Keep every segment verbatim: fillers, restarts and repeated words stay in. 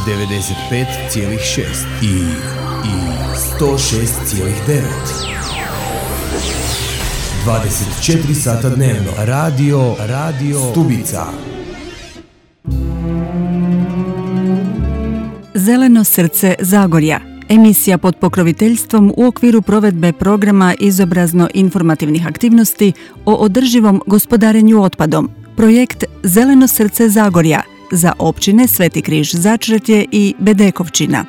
devedeset pet zarez šest i, i sto šest zarez devet. dvadeset četiri sata dnevno. Radio, radio Stubica. Zeleno srce Zagorja. Emisija pod pokroviteljstvom u okviru provedbe programa izobrazno-informativnih aktivnosti o održivom gospodarenju otpadom. Projekt Zeleno srce Zagorja za općine Sveti Križ Začretje i Bedekovčina.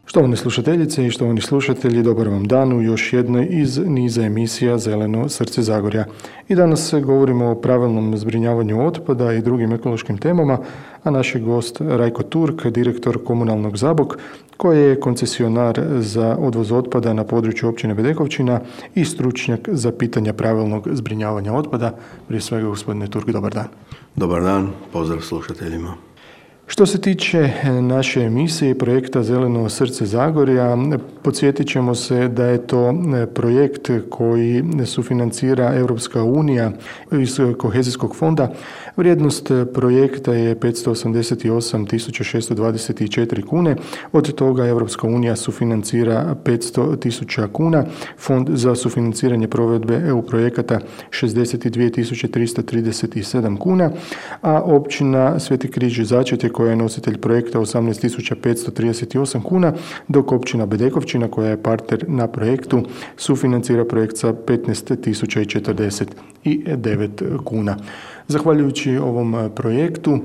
Štovane slušateljice i štovani slušatelji, dobar vam dan u još jednoj iz niza emisija Zeleno srce Zagorja. I danas govorimo o pravilnom zbrinjavanju otpada i drugim ekološkim temama, a naš je gost Rajko Turk, direktor komunalnog Zabok, koji je koncesionar za odvoz otpada na području općine Bedekovčina i stručnjak za pitanja pravilnog zbrinjavanja otpada. Prije svega, gospodine Turk, dobar dan. Dobar dan, pozdrav slušateljima. Što se tiče naše emisije i projekta Zeleno srce Zagorja, podsjetit ćemo se da je to projekt koji sufinancira Europska unija iz kohezijskog fonda. Vrijednost projekta je petsto osamdeset osam tisuća šesto dvadeset četiri kune, od toga Europska unija sufinancira petsto tisuća kuna, Fond za sufinanciranje provedbe E U projekata šezdeset dvije tisuće tristo trideset sedam kuna, a općina Sveti Križ Začretje koja je nositelj projekta osamnaest tisuća petsto trideset osam kuna, dok općina Bedekovčina koja je partner na projektu sufinancira projekt sa petnaest tisuća četrdeset devet kuna. Zahvaljujući ovom projektu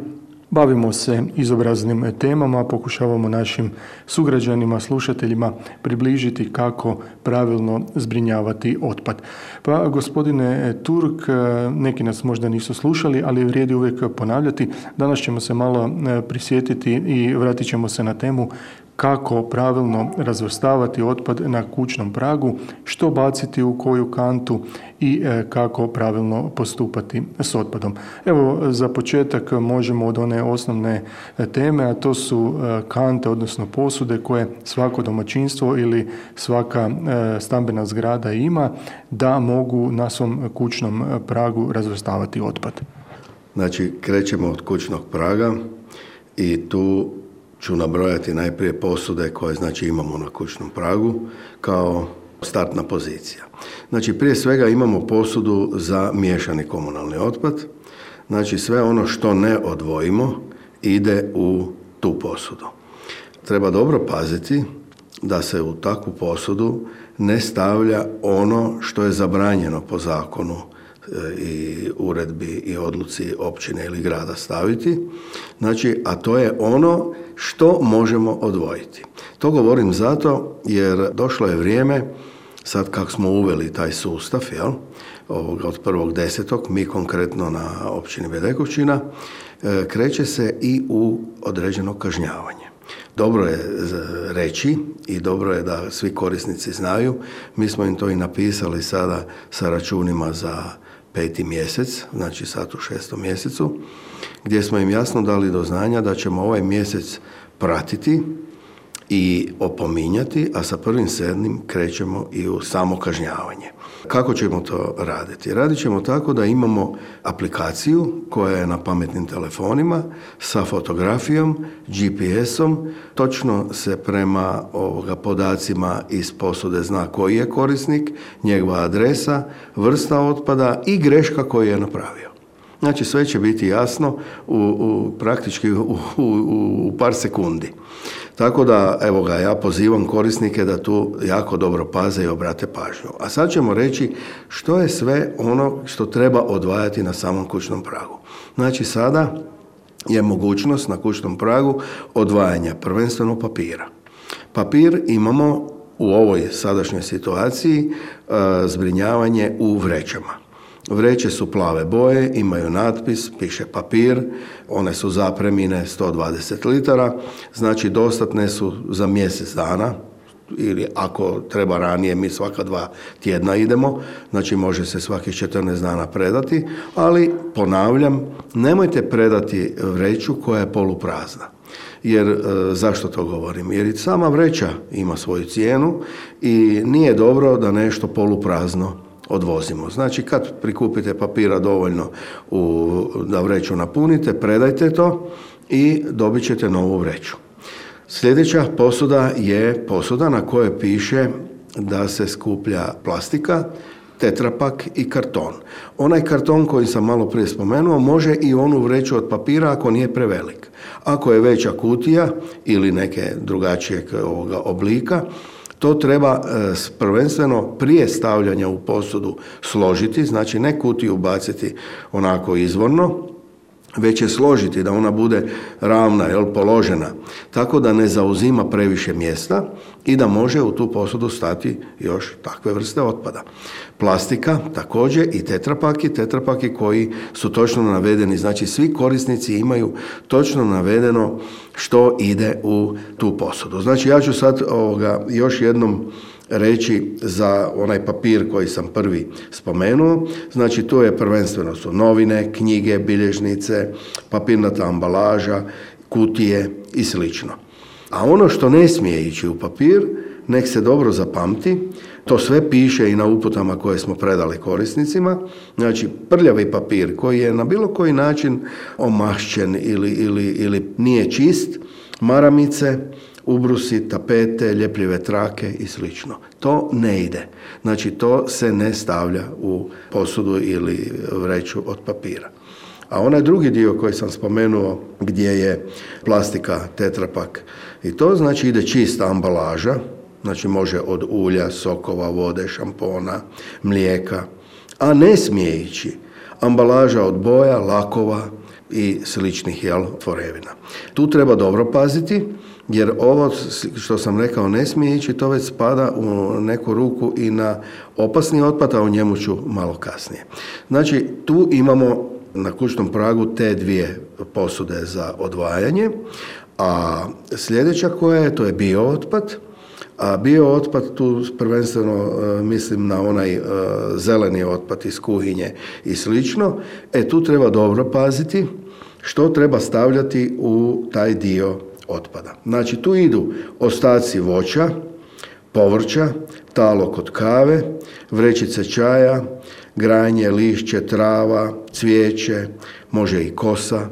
bavimo se izobraznim temama, pokušavamo našim sugrađanima, slušateljima približiti kako pravilno zbrinjavati otpad. Pa, gospodine Turk, neki nas možda nisu slušali, ali vrijedi uvijek ponavljati. Danas ćemo se malo prisjetiti i vratit ćemo se na temu kako pravilno razvrstavati otpad na kućnom pragu, što baciti u koju kantu i kako pravilno postupati s otpadom. Evo, za početak možemo od one osnovne teme, a to su kante, odnosno posude koje svako domaćinstvo ili svaka stambena zgrada ima, da mogu na svom kućnom pragu razvrstavati otpad. Znači, krećemo od kućnog praga i tu ću nabrojati najprije posude koje znači imamo na kućnom pragu kao startna pozicija. Znači, prije svega imamo posudu za miješani komunalni otpad. Znači, sve ono što ne odvojimo ide u tu posudu. Treba dobro paziti da se u takvu posudu ne stavlja ono što je zabranjeno po zakonu i uredbi i odluci općine ili grada staviti, znači, a to je ono što možemo odvojiti. To govorim zato jer došlo je vrijeme, sad kako smo uveli taj sustav, jel, ovoga od prvog desetog, mi konkretno na općini Bedekovčina, kreće se i u određeno kažnjavanje. Dobro je reći i dobro je da svi korisnici znaju, mi smo im to i napisali sada sa računima za peti mjesec, znači sad u šestom mjesecu, gdje smo im jasno dali do znanja da ćemo ovaj mjesec pratiti i opominjati, a sa prvim sedmim krećemo i u samo kažnjavanje. Kako ćemo to raditi? Radit ćemo tako da imamo aplikaciju koja je na pametnim telefonima sa fotografijom, G P S-om, točno se prema ovoga podacima iz posude zna koji je korisnik, njegova adresa, vrsta otpada i greška koju je napravio. Znači, sve će biti jasno u, u praktički u, u, u par sekundi. Tako da, evo ga, ja pozivam korisnike da tu jako dobro paze i obrate pažnju. A sad ćemo reći što je sve ono što treba odvajati na samom kućnom pragu. Znači, sada je mogućnost na kućnom pragu odvajanja prvenstveno papira. Papir imamo u ovoj sadašnjoj situaciji e, zbrinjavanje u vrećama. Vreće su plave boje, imaju natpis, piše papir, one su zapremine sto dvadeset litara, znači dostatne su za mjesec dana, ili ako treba ranije, mi svaka dva tjedna idemo, znači može se svakih četrnaest dana predati, ali ponavljam, nemojte predati vreću koja je poluprazna. Jer e, zašto to govorim? Jer i sama vreća ima svoju cijenu i nije dobro da nešto poluprazno odvozimo. Znači, kad prikupite papira dovoljno u, da vreću napunite, predajte to i dobit ćete novu vreću. Sljedeća posuda je posuda na kojoj piše da se skuplja plastika, tetrapak i karton. Onaj karton koji sam malo prije spomenuo može i onu vreću od papira ako nije prevelik. Ako je veća kutija ili neke drugačijeg ovoga oblika, to treba e, prvenstveno prije stavljanja u posudu složiti, znači ne kutiju baciti onako izvorno, već je složiti da ona bude ravna, jel, položena, tako da ne zauzima previše mjesta i da može u tu posudu stati još takve vrste otpada. Plastika također i tetrapaki, tetrapaki koji su točno navedeni, znači svi korisnici imaju točno navedeno što ide u tu posudu. Znači ja ću sad ovoga još jednom reći za onaj papir koji sam prvi spomenuo. Znači tu je prvenstveno su novine, knjige, bilježnice, papirnata ambalaža, kutije i slično. A ono što ne smije ići u papir, nek se dobro zapamti, to sve piše i na uputama koje smo predali korisnicima. Znači prljavi papir koji je na bilo koji način omašćen ili, ili, ili nije čist, maramice, ubrusi, tapete, ljepljive trake i slično. To ne ide. Znači to se ne stavlja u posudu ili vreću od papira. A onaj drugi dio koji sam spomenuo gdje je plastika, tetrapak i to znači ide čista ambalaža, znači može od ulja, sokova, vode, šampona, mlijeka, a ne smije ići ambalaža od boja, lakova i sličnih, jel, tvorevina. Tu treba dobro paziti, jer ovo što sam rekao ne smije ići, to već spada u neku ruku i na opasni otpad, a o njemu ću malo kasnije. Znači, tu imamo na kućnom pragu te dvije posude za odvajanje, a sljedeća koja je, to je biootpad. A biootpad, tu prvenstveno e, mislim na onaj e, zeleni otpad iz kuhinje i slično, e tu treba dobro paziti što treba stavljati u taj dio otpada. Znači tu idu ostaci voća, povrća, talog od kave, vrećice čaja, granje, lišće, trava, cvijeće, može i kosa,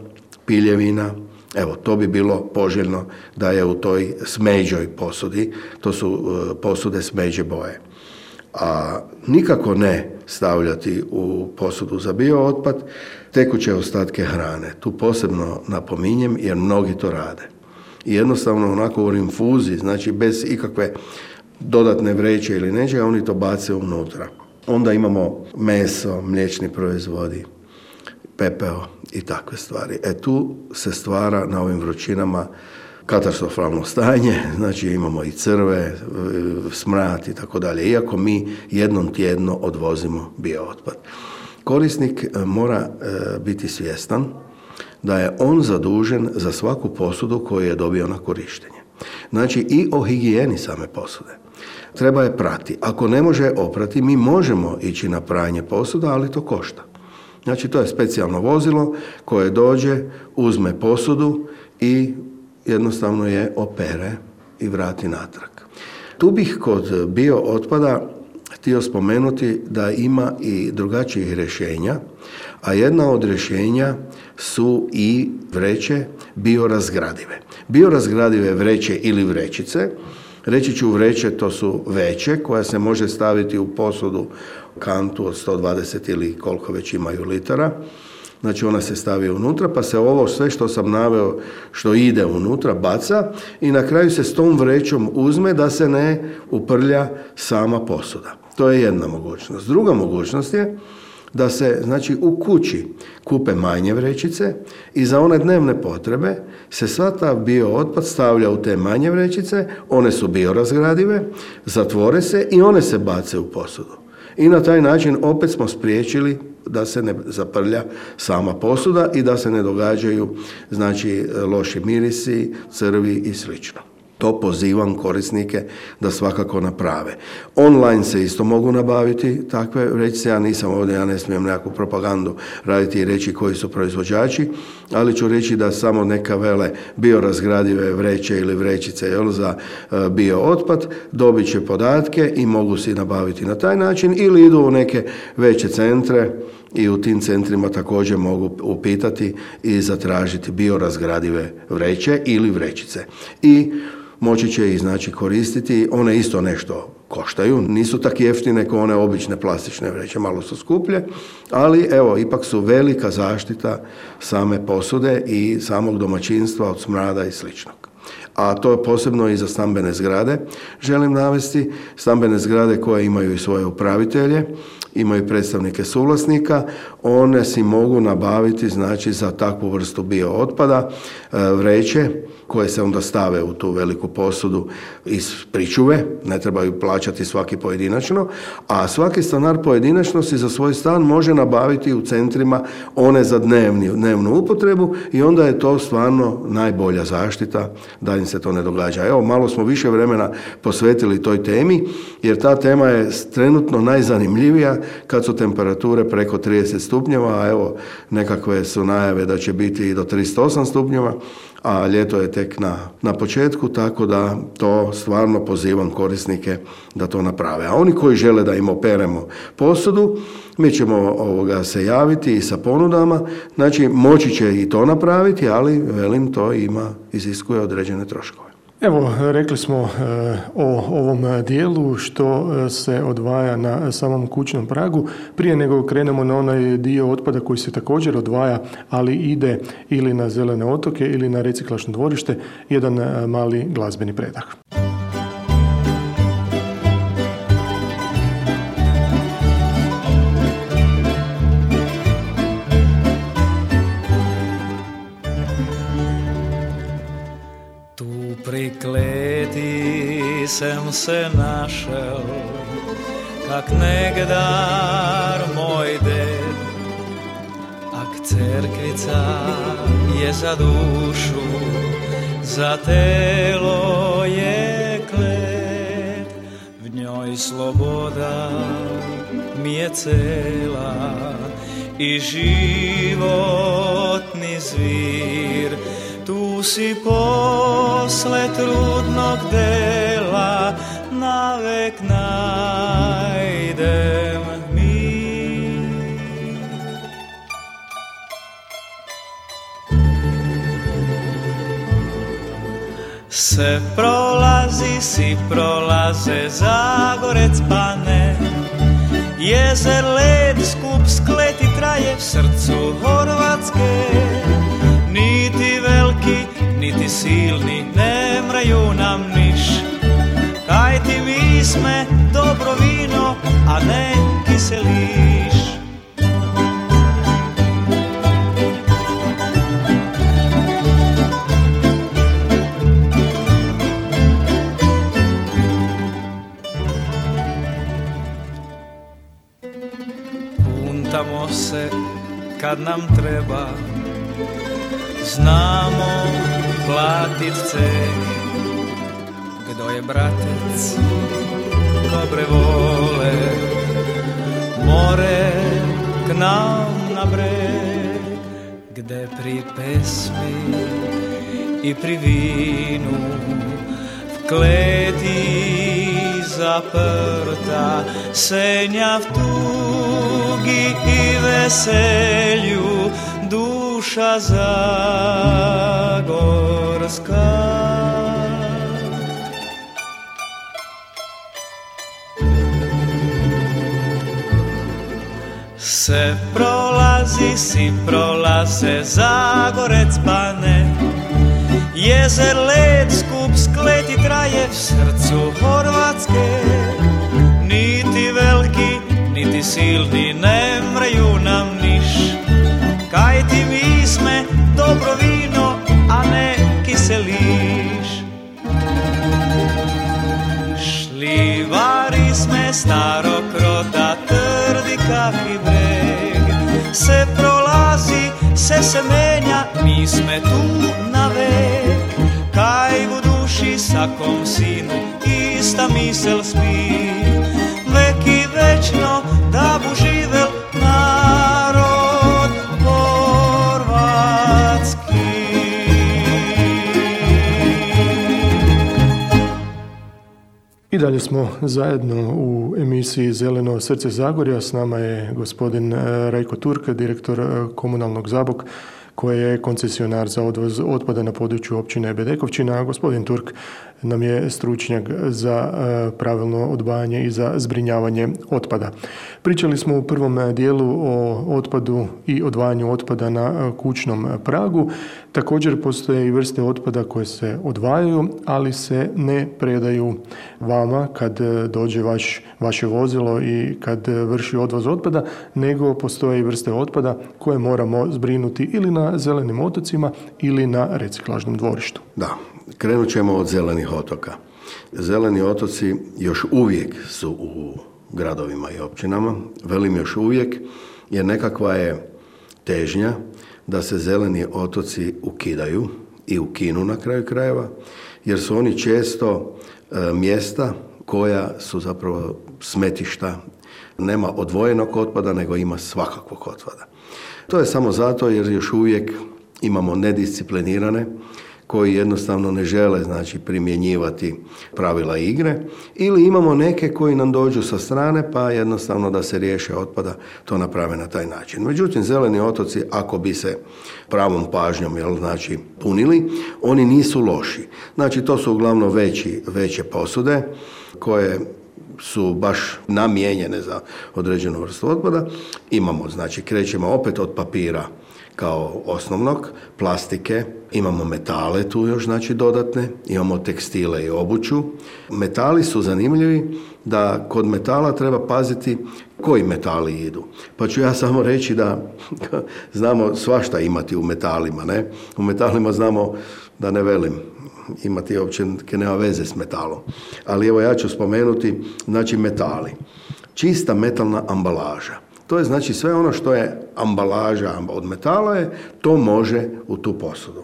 piljevina. Evo, to bi bilo poželjno da je u toj smeđoj posudi, to su uh, posude smeđe boje. A nikako ne stavljati u posudu za biootpad tekuće ostatke hrane. Tu posebno napominjem jer mnogi to rade. I jednostavno onako u rinfuzi, znači bez ikakve dodatne vreće ili nečega, oni to bace unutra. Onda imamo meso, mliječni proizvodi, pepeo i takve stvari. E tu se stvara na ovim vrućinama katastrofalno stanje, znači imamo i crve, smrad i tako dalje, iako mi jednom tjedno odvozimo biootpad. Korisnik mora biti svjestan da je on zadužen za svaku posudu koju je dobio na korištenje. Znači i o higijeni same posude. Treba je prati. Ako ne može oprati, mi možemo ići na pranje posuda, ali to košta. Znači to je specijalno vozilo koje dođe, uzme posudu i jednostavno je opere i vrati natrag. Tu bih kod biootpada htio spomenuti da ima i drugačijih rješenja, a jedna od rješenja su i vreće biorazgradive. Biorazgradive vreće ili vrećice, reći ću vreće, to su veće koja se može staviti u posudu kantu od sto dvadeset ili koliko već imaju litara. Znači ona se stavi unutra pa se ovo sve što sam naveo što ide unutra baca i na kraju se s tom vrećom uzme da se ne uprlja sama posuda. To je jedna mogućnost. Druga mogućnost je da se, znači, u kući kupe manje vrećice i za one dnevne potrebe se sva ta biootpad stavlja u te manje vrećice, one su biorazgradive, zatvore se i one se bace u posudu. I na taj način opet smo spriječili da se ne zaprlja sama posuda i da se ne događaju, znači, loši mirisi, crvi i slično. To pozivam korisnike da svakako naprave. Online se isto mogu nabaviti takve vrećice, ja nisam ovdje, ja ne smijem nekakvu propagandu raditi i reći koji su proizvođači, ali ću reći da samo neka vele biorazgradive vreće ili vrećice, jel, za biootpad dobit će podatke i mogu si nabaviti na taj način ili idu u neke veće centre i u tim centrima također mogu upitati i zatražiti biorazgradive vreće ili vrećice. I moći će ih znači koristiti, one isto nešto koštaju, nisu tako jeftine kao one obične plastične vreće, malo su skuplje, ali evo, ipak su velika zaštita same posude i samog domaćinstva od smrada i sličnog. A to je posebno i za stambene zgrade. Želim navesti stambene zgrade koje imaju i svoje upravitelje, imaju predstavnike suvlasnika, one si mogu nabaviti znači za takvu vrstu bio otpada vreće koje se onda stave u tu veliku posudu iz pričuve, ne trebaju plaćati svaki pojedinačno, a svaki stanar pojedinačno si za svoj stan može nabaviti u centrima one za dnevni, dnevnu upotrebu i onda je to stvarno najbolja zaštita da im se to ne događa. Evo, malo smo više vremena posvetili toj temi, jer ta tema je trenutno najzanimljivija kad su temperature preko trideset stupnjeva, a evo nekakve su najave da će biti i do trideset osam stupnjeva, a ljeto je tek na, na početku, tako da to stvarno pozivam korisnike da to naprave. A oni koji žele da im operemo posudu, mi ćemo ovoga se javiti i sa ponudama, znači moći će i to napraviti, ali velim, to ima, iziskuje određene troškove. Evo, rekli smo e, o ovom dijelu što se odvaja na samom kućnom pragu. Prije nego krenemo na onaj dio otpada koji se također odvaja, ali ide ili na zelene otoke ili na reciklažno dvorište, jedan mali glazbeni predah. Pri kleti sem se našel, kak negdar moj ded, ak cerkvica je za dušu, za telo je klet, v njoj sloboda mi je cela i životni zvir. Tu si posle trudnog dela navek najdem mir. Se prolazi, si prolaze Zagorec pane, jezer led skup skleti traje v srcu Horvatske. Niti veliki, niti silni ne mraju nam niš, kaj ti mi sme dobro vino, a ne kiseliš. Puntamo se kad nam treba, znamo platit ceh, kdo je bratec dobre vole, more k nam na breg, gde pri pesmi i pri vinu v kleti zaprta senja v tugi i veselju duša zagorska. Se prolazi, si prolaze Zagorec pane, jezer led skup skleti traje v srcu Horvatske. Niti veliki, niti silni ne mreju nam niš, kaj ti mi sme dobro vino, a ne kiseliš. Šljivari sme starog roda, trdi kak i breg, se prolazi, se se menja, mi sme tu na vek. Kaj u duši sakom sinu ista misel spi, vek i večno da bu živel narod horvatski. dalje smo zajedno u emisiji Zeleno srce Zagorja. S nama je gospodin Rajko Turk, direktor komunalnog Zabok, koji je koncesionar za odvoz otpada na području općine Bedekovčina, a gospodin Turk nam je stručnjak za pravilno odvajanje i za zbrinjavanje otpada. Pričali smo u prvom dijelu o otpadu i odvajanju otpada na kućnom pragu. Također postoje i vrste otpada koje se odvajaju, ali se ne predaju vama kad dođe vaš, vaše vozilo i kad vrši odvoz otpada, nego postoje i vrste otpada koje moramo zbrinuti ili na zelenim otocima ili na reciklažnom dvorištu. Da, krenut ćemo od zelenih otoka. Zeleni otoci još uvijek su u gradovima i općinama, velim još uvijek, jer nekakva je težnja da se zeleni otoci ukidaju i ukinu na kraju krajeva, jer su oni često e, mjesta koja su zapravo smetišta. Nema odvojenog otpada, nego ima svakakvog otpada. To je samo zato jer još uvijek imamo nedisciplinirane koji jednostavno ne žele, znači, primjenjivati pravila igre, ili imamo neke koji nam dođu sa strane pa jednostavno da se riješe otpada to naprave na taj način. Međutim, zeleni otoci, ako bi se pravom pažnjom, jel, znači, punili, oni nisu loši. Znači, to su uglavnom veći, veće posude koje su baš namijenjene za određenu vrstu otpada. Imamo, znači, krećemo opet od papira kao osnovnog, plastike, imamo metale tu još, znači, dodatne, imamo tekstile i obuću. Metali su zanimljivi da kod metala treba paziti koji metali idu. Pa ću ja samo reći da znamo svašta imati u metalima, ne? U metalima znamo, da ne velim, imati uopće nema veze s metalom. Ali evo ja ću spomenuti, znači, metali. Čista metalna ambalaža. To je, znači, sve ono što je ambalaža od metala je, to može u tu posudu.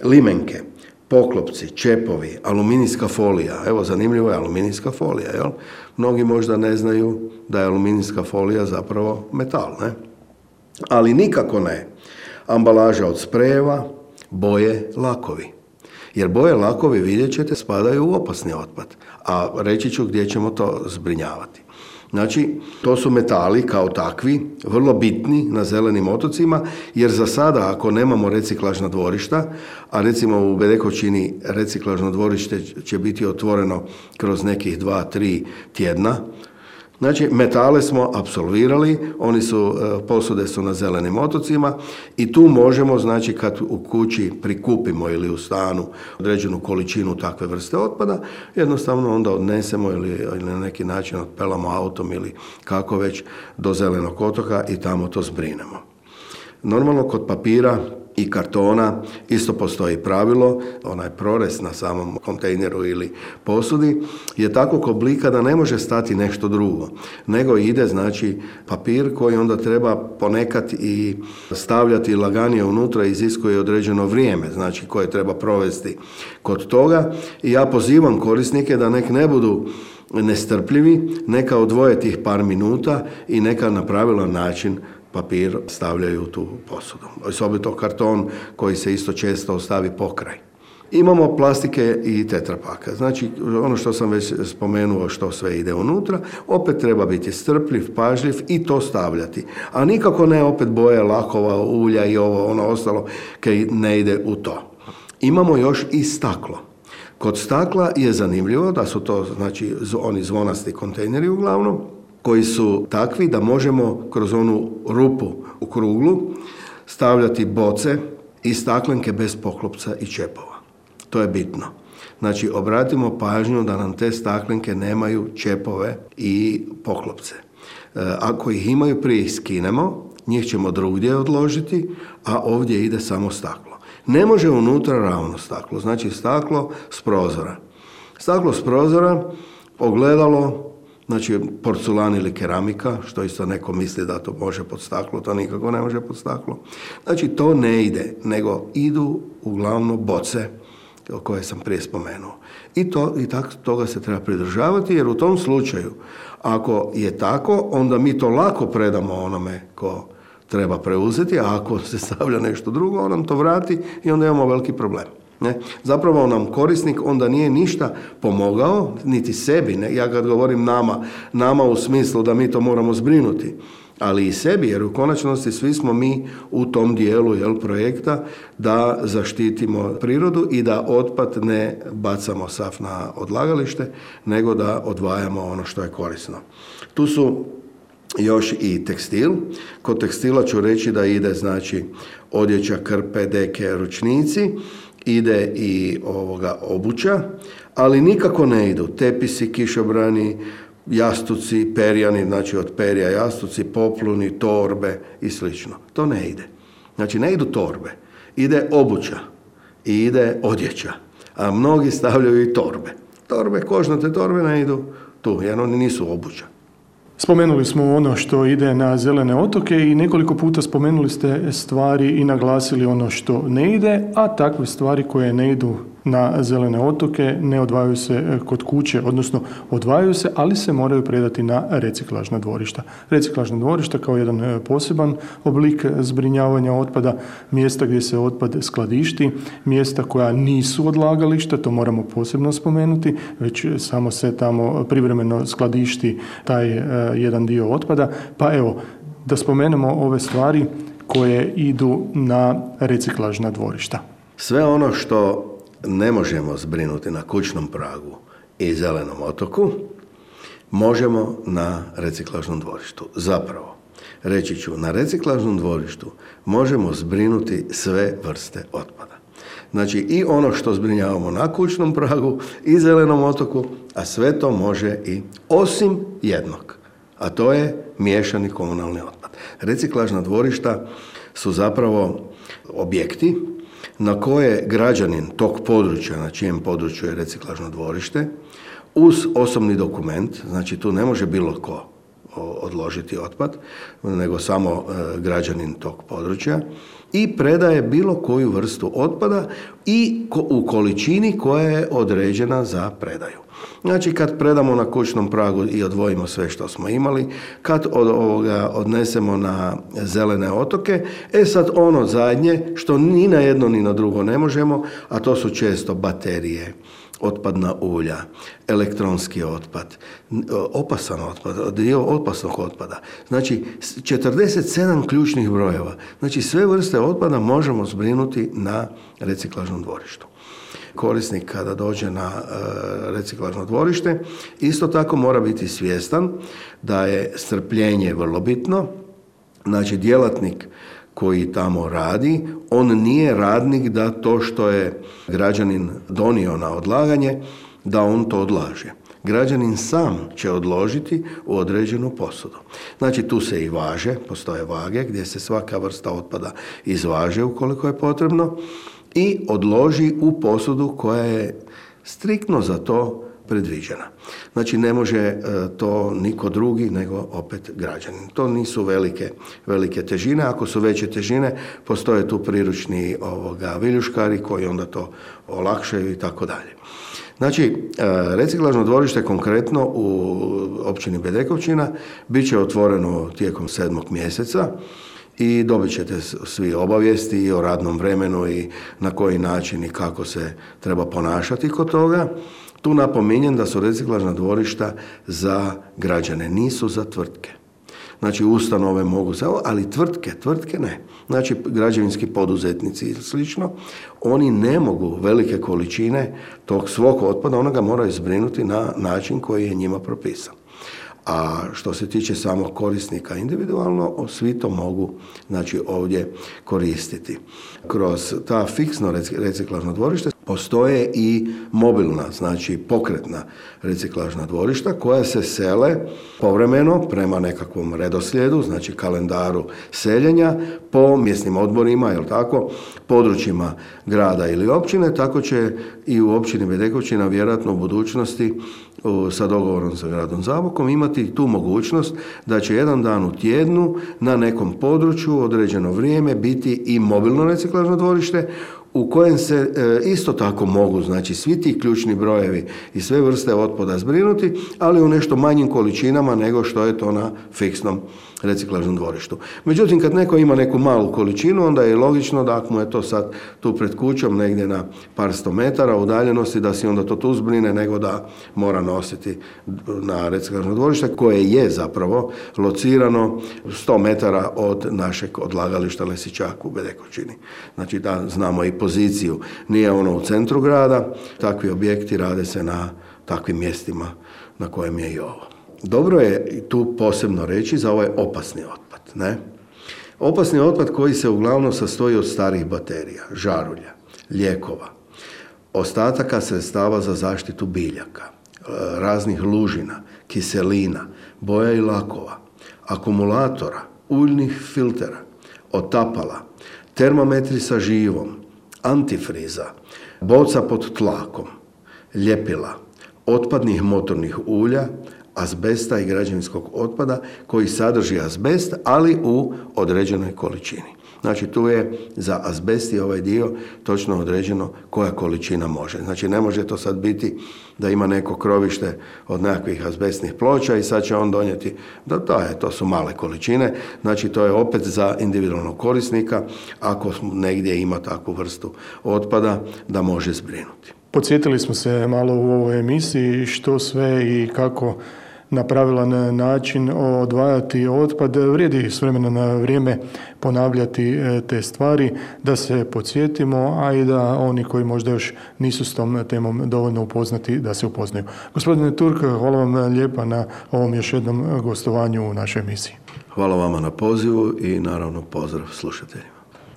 Limenke, poklopci, čepovi, aluminijska folija. Evo, zanimljivo je aluminijska folija, jel? Mnogi možda ne znaju da je aluminijska folija zapravo metal, ne? Ali nikako ne. Ambalaža od sprejeva, boje, lakovi. Jer boje, lakovi, vidjet ćete, spadaju u opasni otpad. A reći ću gdje ćemo to zbrinjavati. Znači, to su metali kao takvi, vrlo bitni na zelenim otocima, jer za sada, ako nemamo reciklažna dvorišta, a recimo u Bedekovčini reciklažno dvorište će biti otvoreno kroz nekih dva, tri tjedna, znači, metale smo apsolvirali, oni su, posude su na zelenim otocima i tu možemo, znači, kad u kući prikupimo ili u stanu određenu količinu takve vrste otpada, jednostavno onda odnesemo ili, ili na neki način otpelamo autom ili kako već do zelenog otoka i tamo to zbrinemo. Normalno, kod papira i kartona isto postoji pravilo, onaj prorez na samom kontejneru ili posudi je takvog oblika da ne može stati nešto drugo, nego ide, znači, papir koji onda treba ponekad i stavljati laganije unutra, iziskuje određeno vrijeme, znači, koje treba provesti kod toga. I ja pozivam korisnike da nek ne budu nestrpljivi, neka odvoje tih par minuta i neka na pravilan način papir stavljaju u tu posudu. Osobito karton koji se isto često ostavi pokraj. Imamo plastike i tetrapaka. Znači, ono što sam već spomenuo što sve ide unutra, opet treba biti strpljiv, pažljiv i to stavljati. A nikako ne opet boje, lakova, ulja i ovo, ono ostalo, kaj ne ide u to. Imamo još i staklo. Kod stakla je zanimljivo da su to, znači, oni zvonasti kontejneri uglavnom, koji su takvi da možemo kroz onu rupu u kruglu stavljati boce i staklenke bez poklopca i čepova. To je bitno. Znači, obratimo pažnju da nam te staklenke nemaju čepove i poklopce. Ako ih imaju, prije ih skinemo, njih ćemo drugdje odložiti, a ovdje ide samo staklo. Ne može unutra ravno staklo, znači staklo s prozora. Staklo s prozora, ogledalo, znači porculan ili keramika, što isto neko misli da to može pod staklo, to nikako ne može pod staklo. Znači, to ne ide, nego idu uglavnom boce koje sam prije spomenuo. I, to, i tako toga se treba pridržavati, jer u tom slučaju, ako je tako, onda mi to lako predamo onome ko treba preuzeti, a ako se stavlja nešto drugo, on nam to vrati i onda imamo veliki problem. Ne? Zapravo nam korisnik onda nije ništa pomogao, niti sebi. Ne? Ja kad govorim nama, nama u smislu da mi to moramo zbrinuti, ali i sebi, jer u konačnosti svi smo mi u tom dijelu jel, projekta da zaštitimo prirodu i da otpad ne bacamo sav na odlagalište, nego da odvajamo ono što je korisno. Tu su još i tekstil. Kod tekstila ću reći da ide znači odjeća, krpe, deke, ručnici, ide i ovoga obuća, ali nikako ne idu tepisi, kišobrani, jastuci, perjani, znači od perja jastuci, popluni, torbe i slično. To ne ide. Znači ne idu torbe, ide obuća i ide odjeća, a mnogi stavljaju i torbe. Torbe, kožnate torbe ne idu tu, jer oni nisu obuća. Spomenuli smo ono što ide na zelene otoke i nekoliko puta spomenuli ste stvari i naglasili ono što ne ide, a takve stvari koje ne idu na zelene otoke ne odvajaju se kod kuće, odnosno odvajaju se, ali se moraju predati na reciklažna dvorišta. Reciklažna dvorišta kao jedan poseban oblik zbrinjavanja otpada, mjesta gdje se otpad skladišti, mjesta koja nisu odlagališta, to moramo posebno spomenuti, već samo se tamo privremeno skladišti taj uh, jedan dio otpada. Pa evo, da spomenemo ove stvari koje idu na reciklažna dvorišta. Sve ono što ne možemo zbrinuti na kućnom pragu i zelenom otoku, možemo na reciklažnom dvorištu. Zapravo, reći ću, na reciklažnom dvorištu možemo zbrinuti sve vrste otpada. Znači i ono što zbrinjavamo na kućnom pragu i zelenom otoku, a sve to može i osim jednog, a to je miješani komunalni otpad. Reciklažna dvorišta su zapravo objekti na koje građanin tog područja, na čijem području je reciklažno dvorište, uz osobni dokument, znači tu ne može bilo ko odložiti otpad, nego samo građanin tog područja, i predaje bilo koju vrstu otpada i u količini koja je određena za predaju. Znači kad predamo na kućnom pragu i odvojimo sve što smo imali, kad od ovoga odnesemo na zelene otoke, e sad ono zadnje što ni na jedno ni na drugo ne možemo, a to su često baterije, otpadna ulja, elektronski otpad, opasan otpad, dio opasnog otpada. Znači, četrdeset sedam ključnih brojeva. Znači, sve vrste otpada možemo zbrinuti na reciklažnom dvorištu. Korisnik kada dođe na e, reciklažno dvorište, isto tako mora biti svjestan da je strpljenje vrlo bitno. Znači, djelatnik koji tamo radi, on nije radnik da to što je građanin donio na odlaganje, da on to odlaže. Građanin sam će odložiti u određenu posudu. Znači tu se i važe, postoje vage gdje se svaka vrsta otpada izvaže ukoliko je potrebno i odloži u posudu koja je striktno za to predviđena. Znači ne može to niko drugi nego opet građanin. To nisu velike, velike težine. Ako su veće težine, postoje tu priručni ovoga, viljuškari koji onda to olakšaju i tako dalje. Znači, reciklažno dvorište konkretno u općini Bedekovčina bit će otvoreno tijekom sedmog mjeseca i dobit ćete svi obavijesti i o radnom vremenu i na koji način i kako se treba ponašati kod toga. Tu napominjem da su reciklažna dvorišta za građane, nisu za tvrtke. Znači, ustanove mogu se, ali tvrtke, tvrtke ne. Znači, građevinski poduzetnici i slično, oni ne mogu velike količine tog svog otpada, ona ga moraju zbrinuti na način koji je njima propisan. A što se tiče samog korisnika individualno, svi to mogu znači, ovdje koristiti. Kroz ta fiksno reciklažno dvorište postoje i mobilna, znači pokretna reciklažna dvorišta koja se sele povremeno prema nekakvom redoslijedu, znači kalendaru seljenja po mjesnim odborima, jel tako, područjima grada ili općine, tako će i u općini Bedekovčina vjerojatno u budućnosti sa dogovorom sa gradom Zabokom imati tu mogućnost da će jedan dan u tjednu na nekom području određeno vrijeme biti i mobilno reciklažno dvorište u kojem se e, isto tako mogu, znači svi ti ključni brojevi i sve vrste otpada zbrinuti, ali u nešto manjim količinama nego što je to na fiksnom reciklažnom dvorištu. Međutim, kad neko ima neku malu količinu, onda je logično da ako mu je to sad tu pred kućom negdje na par sto metara udaljenosti, da si onda to tu zbrine, nego da mora nositi na reciklažno dvorište, koje je zapravo locirano sto metara od našeg odlagališta Lesičak u Bedekovčini. Znači da znamo i poziciju. Nije ono u centru grada, takvi objekti rade se na takvim mjestima na kojem je i ovo. Dobro je tu posebno reći za ovaj opasni otpad, ne? Opasni otpad koji se uglavnom sastoji od starih baterija, žarulja, lijekova, ostataka sredstava za zaštitu biljaka, raznih lužina, kiselina, boja i lakova, akumulatora, uljnih filtera, otapala, termometri sa živom, antifriza, boca pod tlakom, ljepila, otpadnih motornih ulja, azbesta i građevinskog otpada koji sadrži azbest, ali u određenoj količini. Znači tu je za azbest i ovaj dio točno određeno koja količina može. Znači ne može to sad biti da ima neko krovište od nekakvih azbestnih ploča i sad će on donijeti, da to, je, to su male količine, znači to je opet za individualnog korisnika ako negdje ima takvu vrstu otpada da može zbrinuti. Podsjetili smo se malo u ovoj emisiji što sve i kako na pravilan način odvajati otpad. Vrijedi s vremena na vrijeme ponavljati te stvari, da se podsjetimo, a i da oni koji možda još nisu s tom temom dovoljno upoznati, da se upoznaju. Gospodine Turk, hvala vam lijepa na ovom još jednom gostovanju u našoj emisiji. Hvala vama na pozivu i naravno pozdrav slušateljima.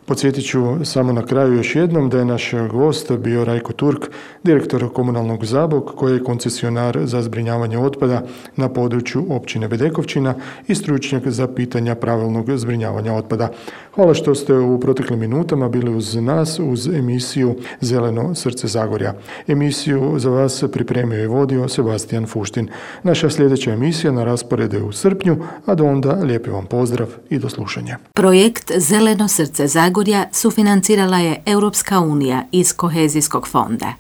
Podsjetit ću samo na kraju još jednom da je naš gost bio Rajko Turk, direktor komunalnog Zabok, koji je koncesionar za zbrinjavanje otpada na području općine Bedekovčina i stručnjak za pitanja pravilnog zbrinjavanja otpada. Hvala što ste u proteklim minutama bili uz nas, uz emisiju Zeleno srce Zagorja. Emisiju za vas pripremio i vodio Sebastian Fuštin. Naša sljedeća emisija na rasporedu je u srpnju, a do onda lijepi vam pozdrav i do slušanja. Projekt Zeleno srce Zagorja sufinancirala je Europska unija iz Kohezijskog fonda.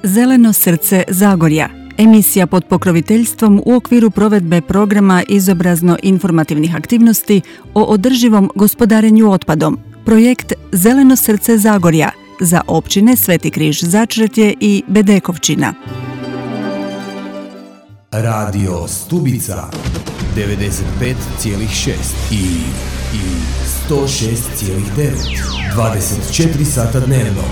Zeleno srce Zagorja. Emisija pod pokroviteljstvom u okviru provedbe programa izobrazno-informativnih aktivnosti o održivom gospodarenju otpadom. Projekt Zeleno srce Zagorja za općine Sveti Križ Začretje i Bedekovčina. Radio Stubica devedeset pet zarez šest i, i sto šest zarez devet. dvadeset četiri sata dnevno.